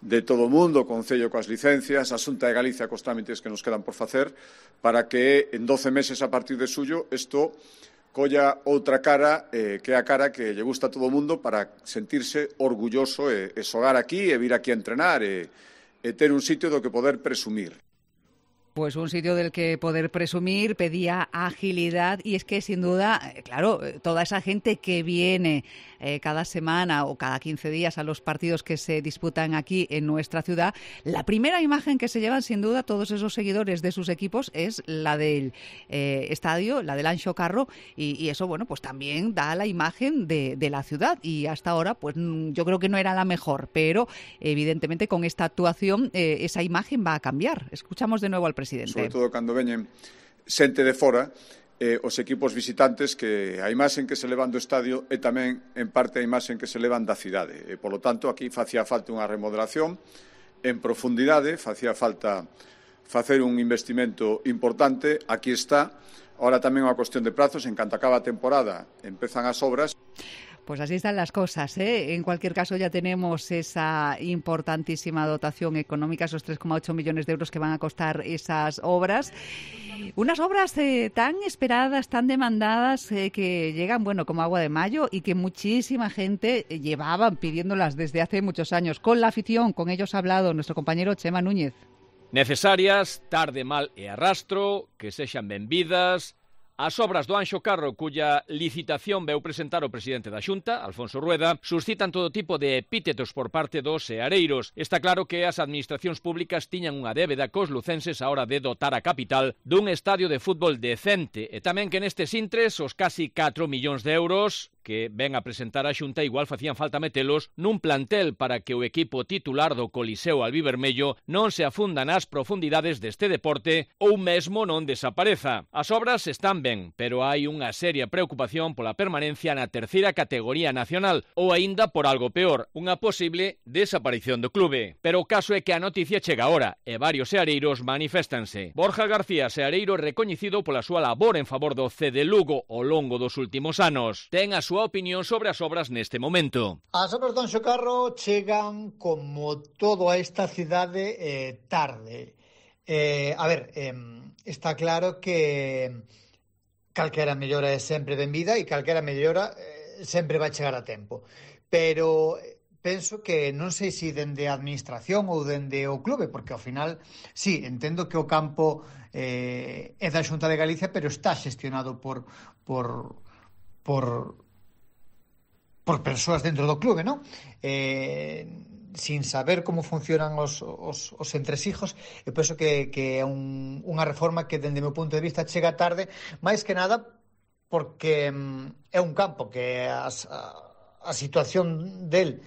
de todo o mundo, o Concello coas licencias, a Xunta de Galicia cos trámites que nos quedan por facer, para que en doce meses a partir de suyo isto colla outra cara, eh, que é a cara que lle gusta a todo o mundo para sentirse orgulloso e, e xogar aquí e vir aquí a entrenar e, e ter un sitio do que poder presumir. Pues un sitio del que poder presumir, pedía agilidad y es que sin duda, claro, toda esa gente que viene eh, cada semana o cada quince días a los partidos que se disputan aquí en nuestra ciudad, la primera imagen que se llevan sin duda todos esos seguidores de sus equipos es la del eh, estadio, la del Anxo Carro y, y eso, bueno, pues también da la imagen de, de la ciudad y hasta ahora pues yo creo que no era la mejor, pero evidentemente con esta actuación eh, esa imagen va a cambiar. Escuchamos de nuevo al presidente. Sobre todo cando veñen xente de fora, eh, os equipos visitantes, que a imaxen que se levan do estadio é tamén en parte a imaxen que se levan da cidade. E, polo tanto, aquí facía falta unha remodelación en profundidade, facía falta facer un investimento importante. Aquí está. Ahora tamén unha cuestión de prazos. En canto acaba a temporada, empezan as obras. Pues así están las cosas, ¿eh? En cualquier caso ya tenemos esa importantísima dotación económica, esos tres coma ocho millones de euros que van a costar esas obras. Unas obras eh, tan esperadas, tan demandadas, eh, que llegan, bueno, como agua de mayo y que muchísima gente llevaban pidiéndolas desde hace muchos años. Con la afición, con ellos ha hablado nuestro compañero Chema Núñez. Necesarias, tarde, mal e arrastro, que sexan benvidas. As obras do Anxo Carro, cuya licitación veu presentar o presidente da Xunta, Alfonso Rueda, suscitan todo tipo de epítetos por parte dos seareiros. Está claro que as administracións públicas tiñan unha débeda cos lucenses a hora de dotar a capital dun estadio de fútbol decente e tamén que nestes intres os casi catro millóns de euros que ven a presentar a Xunta igual facían falta metelos nun plantel para que o equipo titular do Coliseo Albivermello non se afunda nas profundidades deste deporte ou mesmo non desapareza. As obras están ben, pero hai unha seria preocupación pola permanencia na terceira categoría nacional ou aínda por algo peor, unha posible desaparición do clube. Pero o caso é que a noticia chega agora e varios seareiros maniféstanse. Borja García, seareiro recoñecido pola súa labor en favor do C D Lugo ao longo dos últimos anos, ten a súa opinión sobre as obras neste momento. As obras do Anxo Carro chegan como todo a esta cidade eh, tarde. Eh, a ver, eh, está claro que calquera mellora é sempre benvida e calquera mellora eh, sempre vai chegar a tempo. Pero penso que non sei se dende a administración ou dende o clube, porque ao final, sí, entendo que o campo eh, é da Xunta de Galicia, pero está xestionado por por por por persoas dentro do clube, non? Eh, sin saber como funcionan os, os, os entresijos, eu penso que, que é un, unha reforma que, dende o meu punto de vista, chega tarde, máis que nada porque mm, é un campo que as, a, a situación del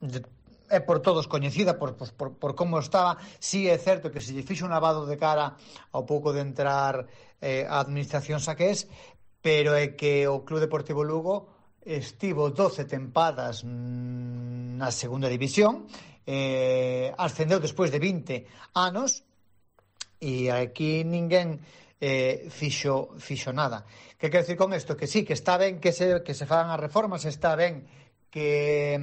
de, é por todos coñecida por, por, por, por como estaba. Sí é certo que se lle fixo un lavado de cara ao pouco de entrar eh, a administración Saqués, pero é que o Club Deportivo Lugo estivo doce tempadas na segunda división, eh, ascendeu despois de vinte anos e aquí ninguén eh, fixo, fixo nada. Que quero dicir con isto? Que sí, que está ben que se, que se fagan as reformas, está ben que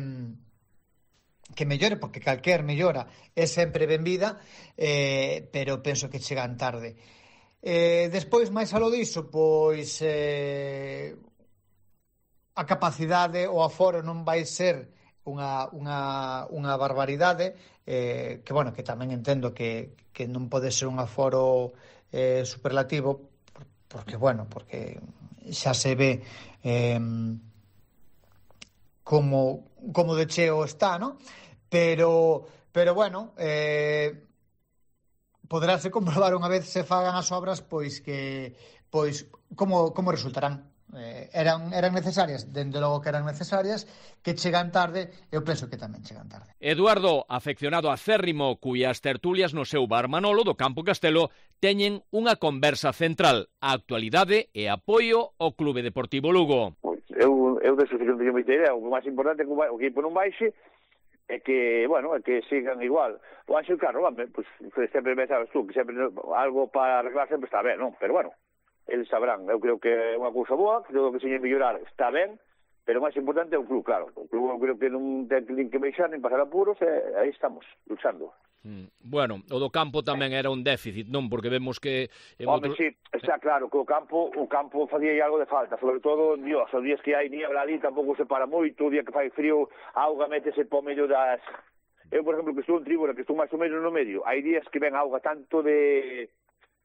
que mellore, porque calquer mellora é sempre benvida, eh, pero penso que chegan tarde. Eh, despois, máis alo diso, pois eh, a capacidade, o aforo non vai ser unha, unha, unha barbaridade, eh, que, bueno, que tamén entendo que, que non pode ser un aforo eh, superlativo, porque, bueno, porque xa se ve eh, como, como de cheo está, ¿no? Pero, pero bueno, eh, poderáse comprobar unha vez se fagan as obras, pois que, pois, como, como resultarán. Eh, eran, eran necesarias, dende logo que eran necesarias, que chegan tarde, eu penso que tamén chegan tarde. Eduardo, afeccionado acérrimo, cuyas tertulias no seu bar Manolo do Campo Castelo teñen unha conversa central, a actualidade e apoio ao Clube Deportivo Lugo. Pois, eu, eu desa que non teño moita idea, o máis importante é que o equipo non baixe, é que, bueno, é que sigan igual. O Ángel Carro, pois, sempre me sabes tú, que sempre algo para arreglar sempre está ben, non? Pero, bueno, eles sabrán. Eu creo que é unha cousa boa, creo que se lle mellorar está ben, pero o máis importante é o club, claro. O club eu creo que non ten que baixar nin pasar apuros, e aí estamos, luchando. Mm. Bueno, o do campo tamén era un déficit, non? Porque vemos que... Home, outro... sí, está claro que o campo o campo facía algo de falta, sobre todo, Dios, os días que hai niebla ali tampouco se para moito, o día que fai frío, a auga métese po medio das... Eu, por exemplo, que estou en tribuna, que estou máis ou menos no medio, hai días que ven auga tanto de...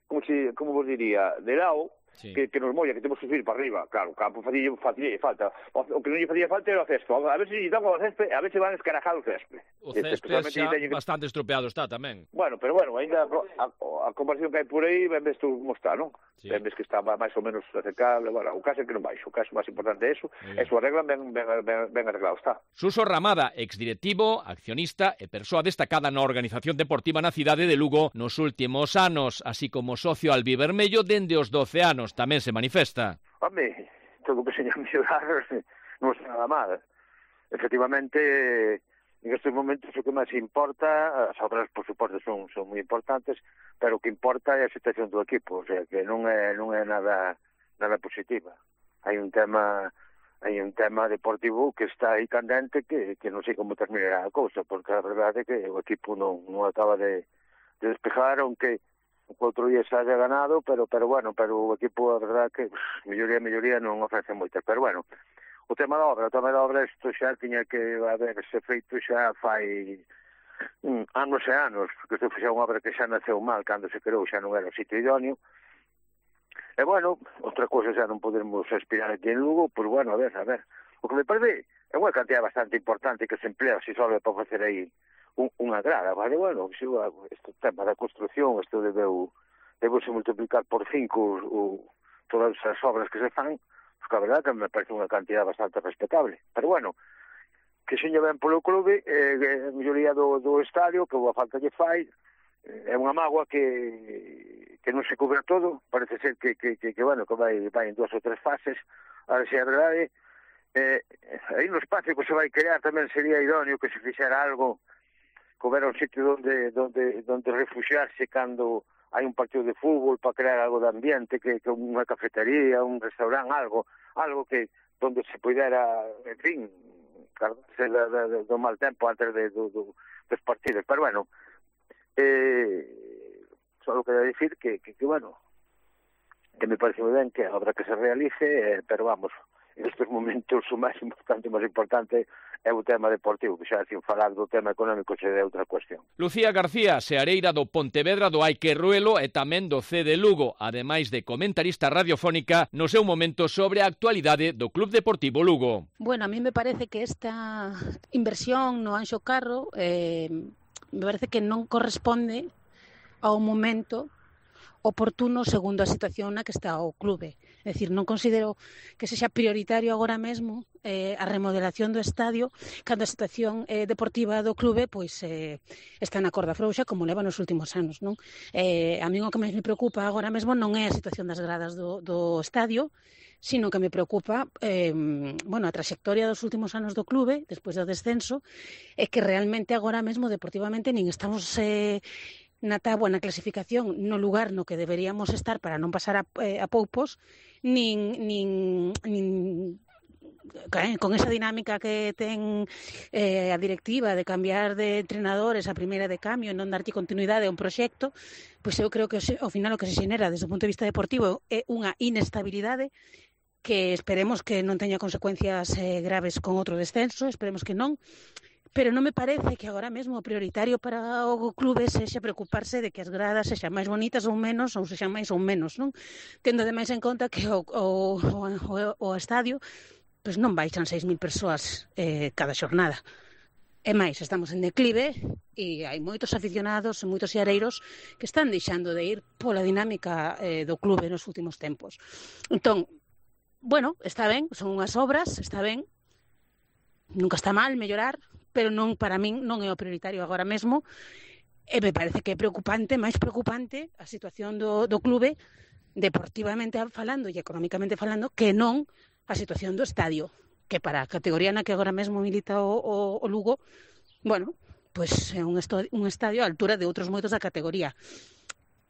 como se, como vos diría, de lao, sí, que, que nos molla, que temos que subir para arriba. Claro, o campo facía, facía falta. O, o que non lle facía falta era o césped. A ver se lle dan o césped, a ver se van escarajar o césped. O césped xa que... bastante estropeado está tamén. Bueno, pero bueno, ainda a, a comparación que hai por aí, ben ves tú como está, non? Sí. Ben ves que está máis ou menos acercable. Bueno, o caso é que non baixo. O caso máis importante é eso. E su arreglan ben, ben, ben, ben arreglado está. Suso Ramada, exdirectivo, accionista e persoa destacada na organización deportiva na cidade de Lugo nos últimos anos, así como socio albivermello dende os doce anos, tamén se manifesta. Home, todo o que seña mellorar non é nada mal. Efectivamente, en estes momentos o que máis importa, as obras, por suposto, son, son moi importantes, pero o que importa é a situación do equipo, o sea, que non é, non é nada, nada positiva. Hai un tema... hai un tema deportivo que está aí candente que, que non sei como terminará a cousa, porque a verdade é que o equipo non, non acaba de, de despejar, aunque o outro día se haya ganado, pero pero bueno, pero o equipo, a verdade que pff, melloría, melloría non ofrece moitas, pero bueno, o tema da obra, o tema da obra, isto xa tiña que haberse feito xa fai mm, anos e anos, porque isto foi unha obra que xa naceu mal, cando se creou xa non era o sitio idóneo. E, bueno, outra cosa xa non podemos aspirar aquí en Lugo, pois, bueno, a ver, a ver. O que me parece é unha cantidad bastante importante que se emplea se só para facer aí un, unha grada, vale? Bueno, este tema da construcción, isto debeu, debeu se multiplicar por cinco o, o, todas as obras que se fan, pois, que a verdade que me parece unha cantidad bastante respetable. Pero, bueno, que seña ben polo clube, eh, a melloría do, do estadio, que boa falta lle fai, é unha mágoa que, que non se cubra todo, parece ser que, que, que, que bueno, que vai, vai en dúas ou tres fases, ahora se é verdade, eh, aí no espacio que se vai crear tamén sería idóneo que se fixera algo, que houbera un sitio donde, donde, donde refugiarse cando hai un partido de fútbol para crear algo de ambiente, que, que unha cafetería, un restaurante, algo, algo que donde se pudera, en fin, cargarse do mal tempo antes de, do, do, dos partidos, pero bueno, Eh, solo quería decir que, que, que, bueno, que me parece moi ben que a obra que se realice, eh, pero vamos, en estes momentos o máis importante, o máis importante é o tema deportivo, que xa sin falar do tema económico se é outra cuestión. Lucía García, seareira do Pontevedra do Aique Ruelo e tamén do C de Lugo, ademais de comentarista radiofónica no seu momento sobre a actualidade do Club Deportivo Lugo. Bueno, a mí me parece que esta inversión no Anxo Carro eh, me parece que non corresponde ao momento oportuno segundo a situación na que está o clube. É dicir, non considero que sexa prioritario agora mesmo eh, a remodelación do estadio cando a situación eh, deportiva do clube pois eh, está na corda frouxa como leva nos últimos anos, non? Eh, a mí o que máis me preocupa agora mesmo non é a situación das gradas do, do estadio, sino que me preocupa eh, bueno, a trayectoria dos últimos anos do clube despois do descenso, é que realmente agora mesmo deportivamente nin estamos eh, na táboa, na clasificación, no lugar no que deberíamos estar para non pasar a, eh, a poupos, nin, nin, nin con esa dinámica que ten eh, a directiva de cambiar de entrenadores a primeira de cambio e non darlle continuidade a un proxecto, pois eu creo que ao final o que se xenera desde o punto de vista deportivo é unha inestabilidade que esperemos que non teña consecuencias eh, graves con outro descenso, esperemos que non, pero non me parece que agora mesmo o prioritario para o clube sexa preocuparse de que as gradas sexan máis bonitas ou menos, ou sexan máis ou menos, non? Tendo ademais en conta que o, o, o, o estadio pois non baixan seis mil persoas eh, cada xornada. E máis, estamos en declive e hai moitos aficionados e moitos xareiros que están deixando de ir pola dinámica eh, do clube nos últimos tempos. Entón, bueno, está ben, son unhas obras, está ben, nunca está mal mellorar, pero non, para min non é o prioritario agora mesmo, e me parece que é preocupante, máis preocupante a situación do, do clube deportivamente falando e económicamente falando que non a situación do estadio, que para a categoría na que agora mesmo milita o, o, o Lugo, bueno, pois é un, esto, un estadio á altura de outros moitos da categoría.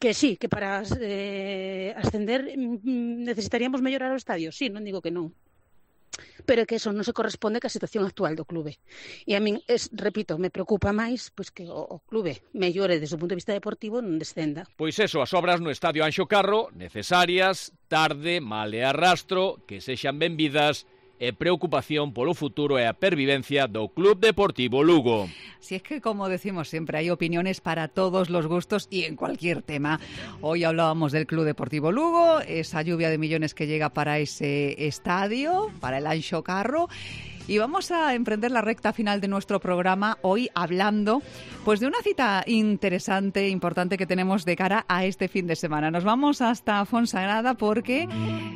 Que sí, que para eh, ascender necesitaríamos mellorar o estadio, sí, non digo que non, pero que eso non se corresponde ca situación actual do clube. E a min, es, repito, me preocupa máis pois que o, o clube mellore desde o punto de vista deportivo non descenda. Pois eso, as obras no estadio Anxo Carro, necesarias, tarde, mal e arrastro, que sexan benvidas e preocupación polo futuro e a pervivencia do Club Deportivo Lugo. Si es que, como decimos siempre, hay opiniones para todos los gustos y en cualquier tema. Hoy hablábamos del Club Deportivo Lugo, esa lluvia de millones que llega para ese estadio, para el Anxo Carro. Y vamos a emprender la recta final de nuestro programa hoy hablando pues de una cita interesante, importante que tenemos de cara a este fin de semana. Nos vamos hasta Fonsagrada porque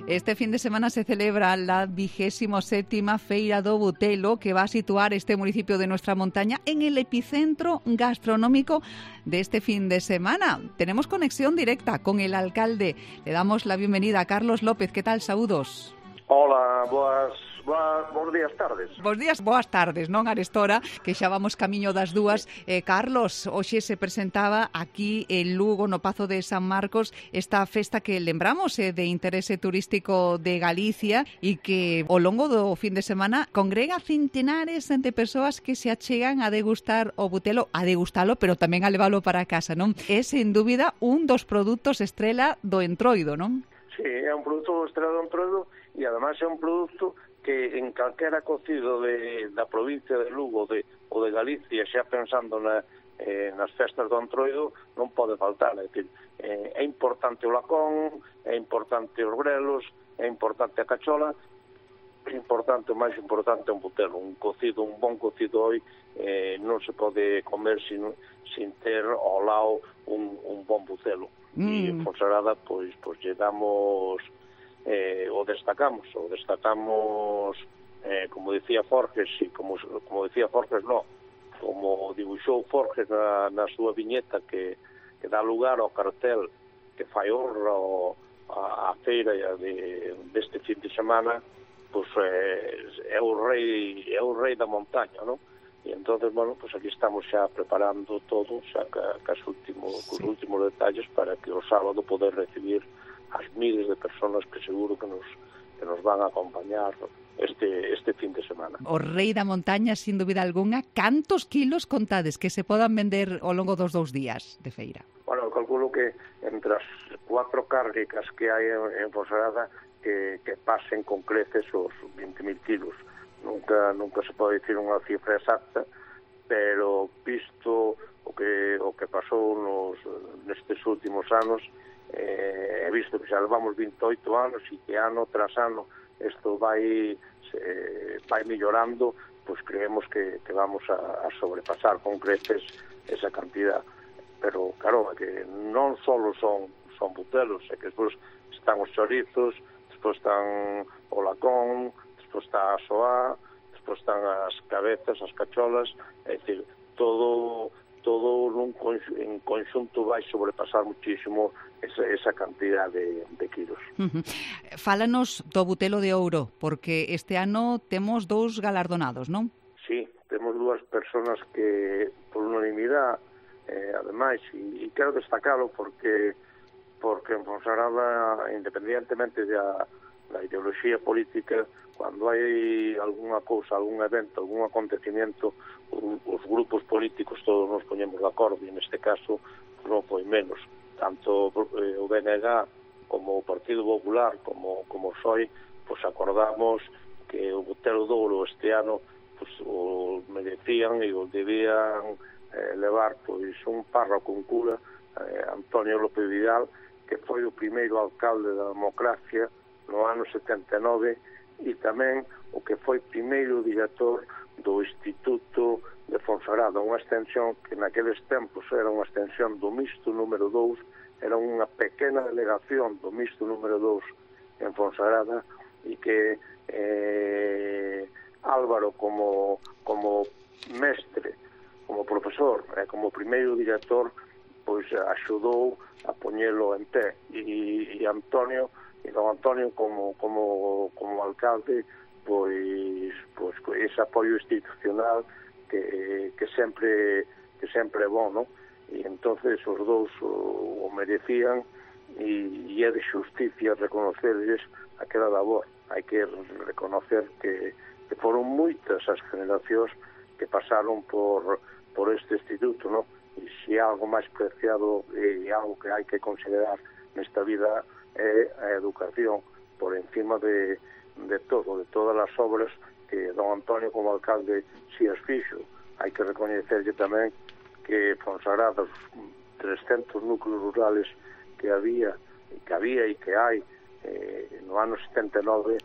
este fin de semana se celebra la vigésimo séptima Feira do Butelo, que va a situar este municipio de nuestra montaña en el epicentro gastronómico de este fin de semana. Tenemos conexión directa con el alcalde. Le damos la bienvenida a Carlos López. ¿Qué tal? Saúdos. Hola, boas... Boa, bons días, tardes. Bos días, boas tardes, non, Arestora, que xa vamos camiño das dúas. Eh, Carlos, hoxe se presentaba aquí en Lugo, no Pazo de San Marcos, esta festa que lembramos eh, de interese turístico de Galicia e que ao longo do fin de semana congrega centenares de persoas que se achegan a degustar o butelo, a degustalo, pero tamén a leválo para casa, non? É, sen dúbida, un dos produtos estrela do Entroido, non? Sí, é un produto estrela do Entroido e ademais é un produto que en calquera cocido de, da provincia de Lugo de, ou de Galicia, xa pensando na, eh, nas festas do Entroido, non pode faltar. É, dicir, eh, é importante o lacón, é importante os grelos, é importante a cachola, é importante, o máis importante é un butelo. Un cocido, un bon cocido hoy eh, non se pode comer sin, sin ter ao lado un, un bon butelo. Mm. E en Fonsagrada, pois, pois llegamos... Eh, o destacamos, o destacamos eh, como decía Forges e como, como decía Forges no, como dibuixou Forges na, na súa viñeta que, que dá lugar ao cartel que fai honra ao, a, a feira de, deste fin de semana, pois eh, é o rei é o rei da montaña, non? E entonces, bueno, pues aquí estamos xa preparando todo, xa ca, ca último, sí. Os últimos detalles para que o sábado poder recibir as miles de personas que seguro que nos que nos van a acompañar este este fin de semana. O rei da montaña, sin dúbida alguna. Cantos kilos contades que se podan vender ao longo dos dous días de feira? Bueno, eu calculo que entre as cuatro cárnicas que hai en, en Fonsagrada que, que pasen con creces os veinte mil kilos. Nunca nunca se pode dicir unha cifra exacta, pero visto o que o que pasou nos nestes últimos anos, eh, he visto que xa levamos veintioito anos e que ano tras ano isto vai se, vai mellorando, pois creemos que, que vamos a, a sobrepasar con creces esa cantidad. Pero claro, que non só son son butelos, é que despois están os chorizos, despois están o lacón, despois está a soá, despois están as cabezas, as cacholas, é dicir, todo todo nun conxunto, en conxunto vai sobrepasar muchísimo esa, esa cantidad de, de kilos. Uh-huh. Fálanos do Butelo de Ouro, porque este ano temos dous galardonados, non? Sí, temos dúas personas que, por unanimidade, eh, ademais, e, e quero destacalo porque porque en Fonsagrada, independientemente da, da ideoloxía política, cando hai algunha cousa, algún evento, algún acontecimiento, os grupos políticos todos nos poñemos de acordo, e neste caso non foi menos. Tanto o B N G como o Partido Popular, como, como o P S O E, pues acordamos que o Butelo de Ouro este ano pues, o merecían e o debían eh, levar pois un párroco, un cura, eh, Antonio López Vidal, que foi o primeiro alcalde da democracia no ano setenta e nove, e tamén o que foi primeiro director do Instituto de Fonsagrada, unha extensión que naqueles tempos era unha extensión do mixto número dous, era unha pequena delegación do mixto número dous en Fonsagrada, e que eh, Álvaro como, como mestre, como profesor, eh, como primeiro director, pois axudou a poñelo en pé, e, e Antonio e don Antonio como, como, como alcalde, pois, pois ese apoio institucional que, que sempre que sempre é bom, non? E entonces os dous o, o merecían, e, e é de xusticia reconocerles aquela labor. Hai que reconocer que, que foron moitas as generacións que pasaron por, por este instituto, non? E se algo máis preciado e algo que hai que considerar nesta vida é a educación por encima de, de todo, de todas as obras que don Antonio como alcalde si as fixo. Hai que recoñecerlle tamén que Fonsagrada, os trescentos núcleos rurales que había e que había e que hai eh, no ano setenta e nove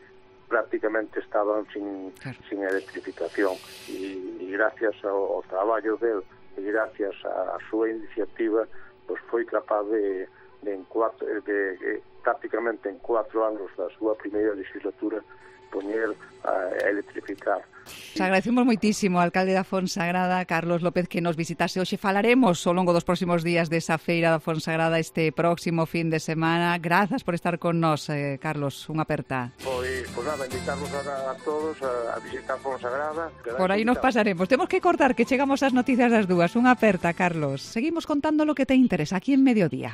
prácticamente estaban sin, claro. sin electrificación, e, e gracias ao, ao traballo del e gracias á súa iniciativa pois foi capaz de, de, en cuatro, de, de prácticamente en cuatro anos da súa primeira legislatura poñer a electrificar. Os agradecemos moitísimo ao alcalde da Fonsagrada, Carlos López, que nos visitase hoxe. Falaremos ao longo dos próximos días desa feira da Fonsagrada este próximo fin de semana. Grazas por estar con nós, eh, Carlos, unha aperta. Pois, pois nada, invitarnos a, a todos a, a visitar Fonsagrada. Por aí nos pasaremos. Temos que cortar, que chegamos ás noticias das dúas. Unha aperta, Carlos. Seguimos contando lo que te interesa aquí en Mediodía.